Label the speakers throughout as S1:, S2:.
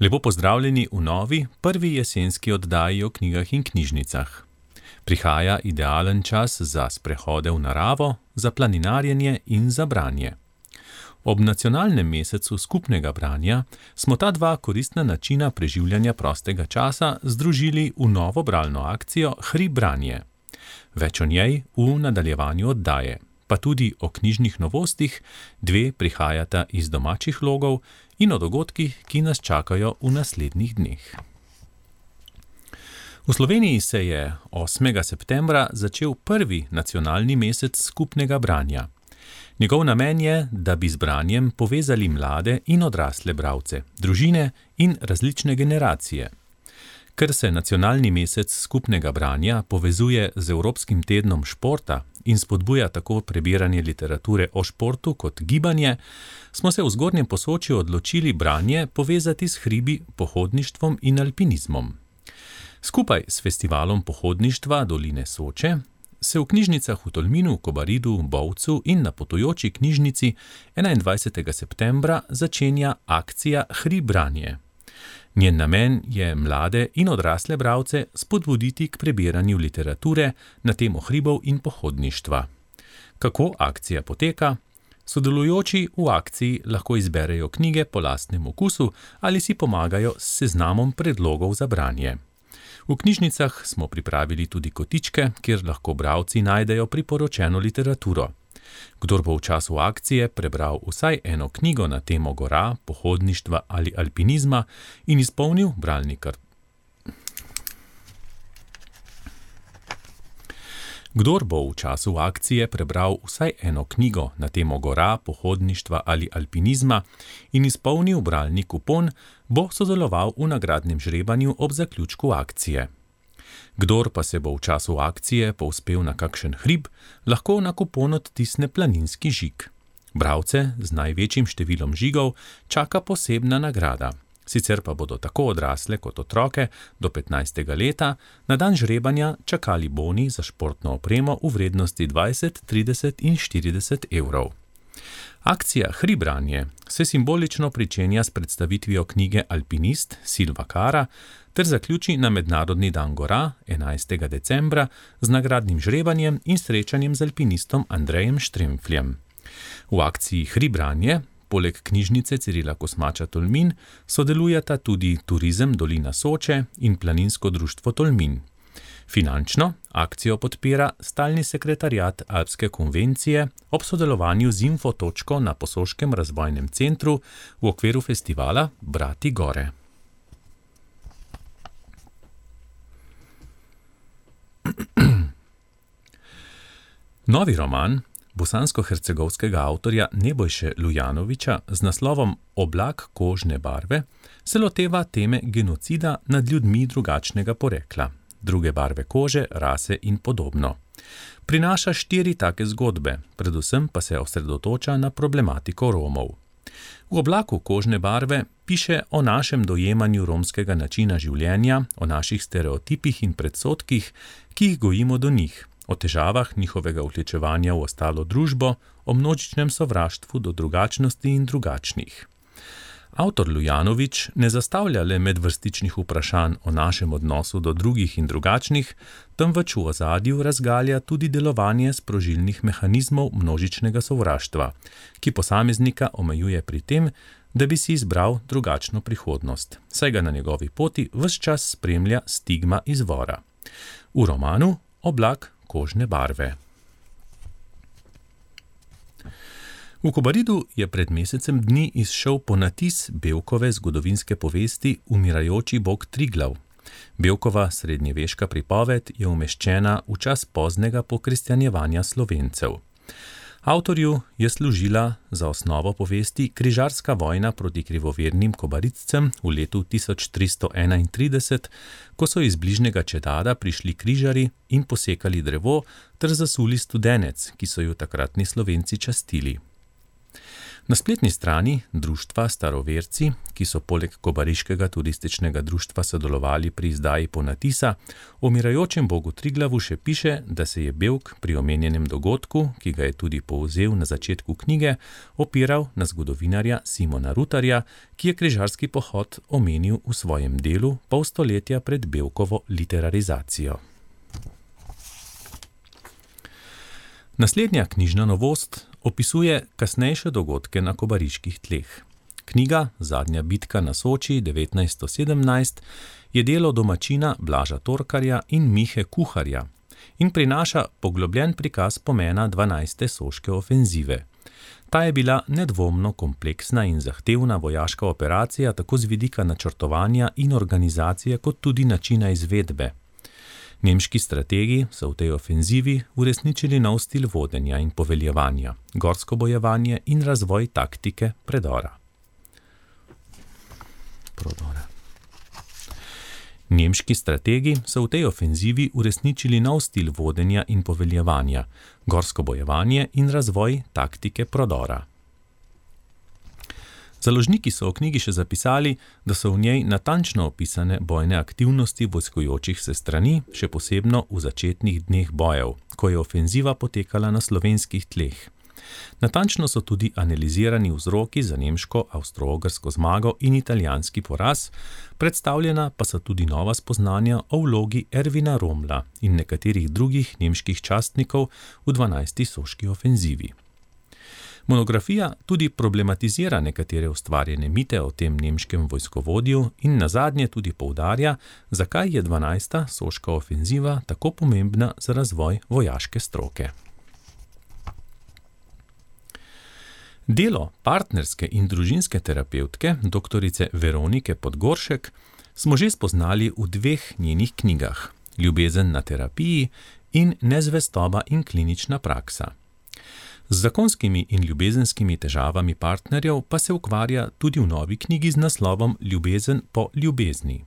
S1: Lepo pozdravljeni v novi, prvi jesenski oddaji o knjigah in knjižnicah. Prihaja idealen čas za sprehode v naravo, za planinarjenje in za branje. Ob nacionalnem mesecu skupnega branja smo ta dva koristna načina preživljanja prostega časa združili v novo bralno akcijo Hri branje. Več o njej v nadaljevanju oddaje, pa tudi o knjižnih novostih, dve prihajata iz domačih logov in o dogodkih, ki nas čakajo v naslednjih dneh. V Sloveniji se je 8. septembra začel prvi nacionalni mesec skupnega branja. Njegov namen je, da bi z branjem povezali mlade in odrasle bralce, družine in različne generacije. Ker se nacionalni mesec skupnega branja povezuje z Evropskim tednom športa in spodbuja tako prebiranje literature o športu kot gibanje, smo se v Zgornjem Posočju odločili branje povezati s hribi, pohodništvom in alpinizmom. Skupaj s festivalom pohodništva Doline Soče se v knjižnicah v Tolminu, Kobaridu, Bovcu in na potujoči knjižnici 21. septembra začenja akcija Hri branje. Njen namen je mlade in odrasle bralce spodbuditi k prebiranju literature na temo hribov in pohodništva. Kako akcija poteka? Sodelujoči v akciji lahko izberejo knjige po lastnem okusu ali si pomagajo s seznamom predlogov za branje. V knjižnicah smo pripravili tudi kotičke, kjer lahko bralci najdejo priporočeno literaturo. Kdor bo v času akcije prebral vsaj eno knjigo na temo gora, pohodništva ali alpinizma in izpolnil bralni Kdor bo v času akcije prebral vsaj eno knjigo na temo gora, pohodništva ali alpinizma in izpolnil bralni kupon, bo sodeloval v nagradnem žrebanju ob zaključku akcije. Kdor pa se bo v času akcije povzpel na kakšen hrib, lahko na kupon odtisne planinski žig. Bralce z največjim številom žigov čaka posebna nagrada. Sicer pa bodo tako odrasle kot otroke do 15. leta na dan žrebanja čakali boni za športno opremo v vrednosti 20, 30 in 40 evrov. Akcija Hri branje se simbolično pričenja s predstavitvijo knjige Alpinist Silva Kara ter zaključi na Mednarodni dan gora 11. decembra z nagradnim žrebanjem in srečanjem z alpinistom Andrejem Štremfljem. V akciji Hri branje poleg knjižnice Cirila Kosmača Tolmin sodelujeta tudi Turizem Dolina Soče in Planinsko društvo Tolmin. Finančno akcijo podpira Stalni sekretariat Alpske konvencije ob sodelovanju z Info točko na Posoškem razvojnem centru v okviru festivala Brati gore. Novi roman bosansko-hercegovskega avtorja Nebojše Lujanovića z naslovom Oblak kožne barve se loteva teme genocida nad ljudmi drugačnega porekla, druge barve kože, rase in podobno. Prinaša 4 take zgodbe, predvsem pa se osredotoča na problematiko Romov. V Oblaku kožne barve piše o našem dojemanju romskega načina življenja, o naših stereotipih in predsodkih, ki jih gojimo do njih, o težavah njihovega vključevanja v ostalo družbo, o množičnem sovraštvu do drugačnosti in drugačnih. Avtor Lujanović ne zastavlja le medvrstičnih vprašanj o našem odnosu do drugih in drugačnih, temveč v ozadju razgalja tudi delovanje sprožilnih mehanizmov množičnega sovraštva, ki posameznika omejuje pri tem, da bi si izbral drugačno prihodnost, saj ga na njegovi poti ves čas spremlja stigma izvora. V romanu Oblak kožne barve. V Kobaridu je pred mesecem dni izšel ponatis Bevkove zgodovinske povesti Umirajoči bog Triglav. Bevkova srednjeveška pripoved je umeščena v čas poznega pokristjanjevanja Slovencev. Avtorju je služila za osnovo povesti križarska vojna proti krivovernim Kobaridcem v letu 1331, ko so iz bližnjega Čedada prišli križari in posekali drevo ter zasuli studenec, ki so jo takratni Slovenci častili. Na spletni strani društva Staroverci, ki so poleg Kobariškega turističnega društva sodelovali pri izdaji ponatisa, o umirajočem bogu Triglavu še piše, da se je Bevk pri omenjenem dogodku, ki ga je tudi povzel na začetku knjige, opiral na zgodovinarja Simona Rutarja, ki je križarski pohod omenil v svojem delu pol stoletja pred Bevkovo literarizacijo. Naslednja knjižna novost opisuje kasnejše dogodke na kobariških tleh. Knjiga Zadnja bitka na Soči 1917 je delo domačina Blaža Torkarja in Mihe Kuharja in prinaša poglobljen prikaz pomena 12. soške ofenzive. Ta je bila nedvomno kompleksna in zahtevna vojaška operacija tako z vidika načrtovanja in organizacije kot tudi načina izvedbe. Nemški strategi so v tej ofenzivi uresničili nov stil vodenja in poveljevanja, gorsko bojevanje in razvoj taktike predora. Nemški strategi so v tej ofenzivi uresničili nov stil vodenja in poveljevanja, gorsko bojevanje in razvoj taktike prodora. Založniki so v knjigi še zapisali, da so v njej natančno opisane bojne aktivnosti vojskujočih se strani, še posebno v začetnih dneh bojev, ko je ofenziva potekala na slovenskih tleh. Natančno so tudi analizirani vzroki za nemško avstro-ogrsko zmago in italijanski poraz, predstavljena pa so tudi nova spoznanja o vlogi Ervina Rommla in nekaterih drugih nemških častnikov v 12. soški ofenzivi. Monografija tudi problematizira nekatere ustvarjene mite o tem nemškem vojskovodju in nazadnje tudi poudarja, zakaj je 12. soška ofenziva tako pomembna za razvoj vojaške stroke. Delo partnerske in družinske terapevtke, doktorice Veronike Podgoršek, smo že spoznali v dveh njenih knjigah: Ljubezen na terapiji in Nezvestoba in klinična praksa. Z zakonskimi in ljubezenskimi težavami partnerjev pa se ukvarja tudi v novi knjigi z naslovom Ljubezen po ljubezni.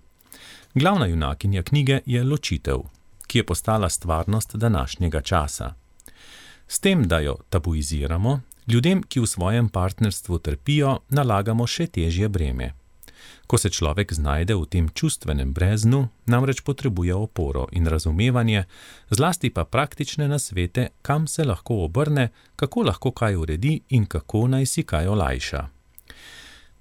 S1: Glavna junakinja knjige je ločitev, ki je postala stvarnost današnjega časa. S tem, da jo tabuiziramo, ljudem, ki v svojem partnerstvu trpijo, nalagamo še težje breme. Ko se človek znajde v tem čustvenem breznu, namreč potrebuje oporo in razumevanje, zlasti pa praktične nasvete, kam se lahko obrne, kako lahko kaj uredi in kako naj si kaj olajša.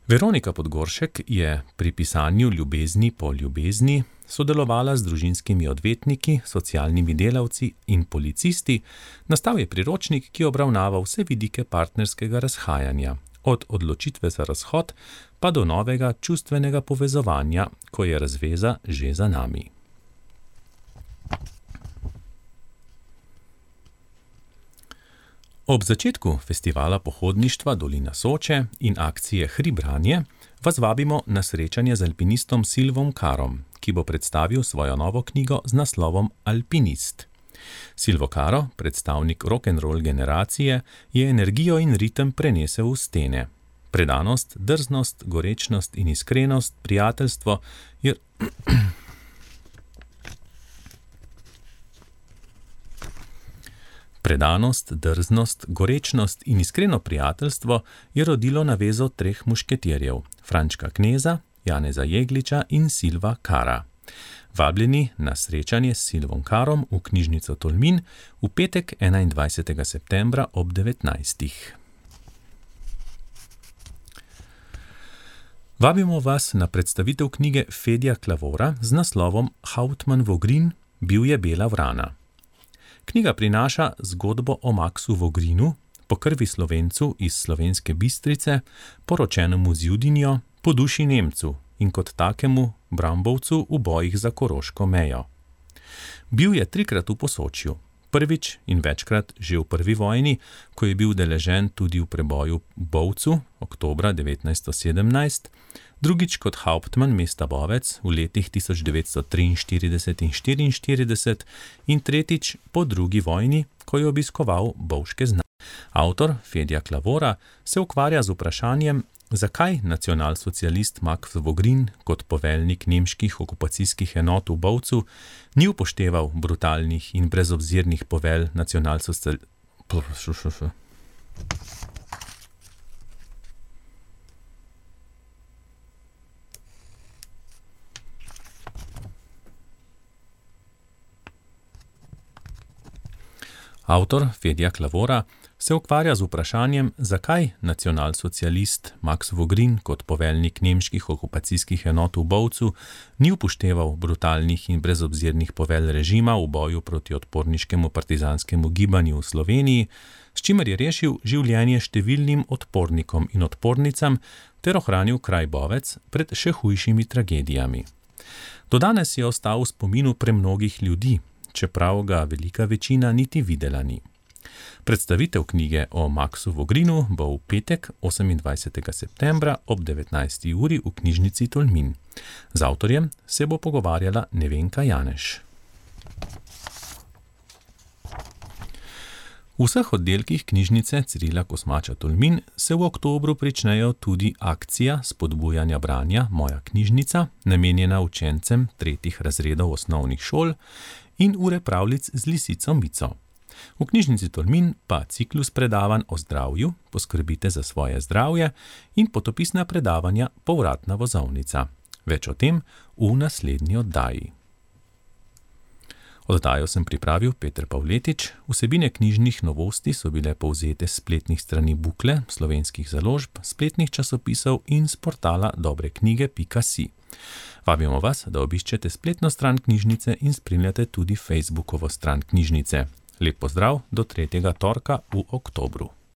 S1: Veronika Podgoršek je pri pisanju Ljubezni po ljubezni sodelovala z družinskimi odvetniki, socialnimi delavci in policisti, nastal je priročnik, ki obravnava vse vidike partnerskega razhajanja, od odločitve za razhod pa do novega čustvenega povezovanja, ko je razveza že za nami. Ob začetku festivala pohodništva Dolina Soče in akcije Hribranje vas vabimo na srečanje z alpinistom Silvom Karom, ki bo predstavil svojo novo knjigo z naslovom Alpinist. Silvo Karo, predstavnik rock'n'roll generacije, je energijo in ritem prenesel v stene. Predanost, drznost, gorečnost in iskrenost, prijateljstvo je... Predanost, drznost, gorečnost in iskreno prijateljstvo je rodilo navezo treh mušketirjev, Frančka Kneza, Janeza Jegliča in Silva Kara. Vabljeni na srečanje s Silvom Karom v knjižnico Tolmin v petek 21. septembra ob 19. Vabimo vas na predstavitev knjige Fedja Klavora z naslovom Hauptmann Vogrin, bil je bela vrana. Knjiga prinaša zgodbo o Maksu Vogrinu, po krvi Slovencu iz Slovenske Bistrice, poročenemu z Judinjo, po duši Nemcu in kot takemu Brambovcu v bojih za koroško mejo. Bil je 3-krat v Posočju, prvič in večkrat že v prvi vojni, ko je bil deležen tudi v preboju v Bovcu, oktobra 1917, drugič kot hauptmann mesta Bovec v letih 1943 in 1944 in tretjič po drugi vojni, ko je obiskoval bovške znanje. Avtor Fedja Klavora se ukvarja z vprašanjem, zakaj nacionalsocialist Max Vogrin kot poveljnik nemških okupacijskih enot v Bovcu ni upošteval brutalnih in brezobzirnih povelj Avtor Fedja Klavora se ukvarja z vprašanjem, zakaj nacionalsocialist Max Vogrin kot poveljnik nemških okupacijskih enot v Bovcu ni upošteval brutalnih in brezobzirnih povelj režima v boju proti odporniškemu partizanskemu gibanju v Sloveniji, s čimer je rešil življenje številnim odpornikom in odpornicam ter ohranil kraj Bovec pred še hujšimi tragedijami. Do danes je ostal v spominu premnogih ljudi, čeprav ga velika večina niti videla ni. Predstavitev knjige o Maxu Vogrinu bo v petek 28. septembra ob 19. uri v knjižnici Tolmin. Z avtorjem se bo pogovarjala Nevenka Janeš. V vseh oddelkih knjižnice Cirila Kosmača Tolmin se v oktobru pričnejo tudi akcija spodbujanja branja Moja knjižnica, namenjena učencem 3. razredov osnovnih šol, in ure pravljic z lisico Mico. V knjižnici Tolmin pa ciklus predavanj o zdravju, poskrbite za svoje zdravje, in potopisna predavanja Povratna vozovnica. Več o tem v naslednji oddaji. Oddajo sem pripravil Peter Pavletič, vsebine knjižnih novosti so bile povzete s spletnih strani Bukle, slovenskih založb, spletnih časopisov in s portala dobreknjige.si. Vabimo vas, da obiščete spletno stran knjižnice in spremljate tudi Facebookovo stran knjižnice. Lep pozdrav do 3. torka v oktobru.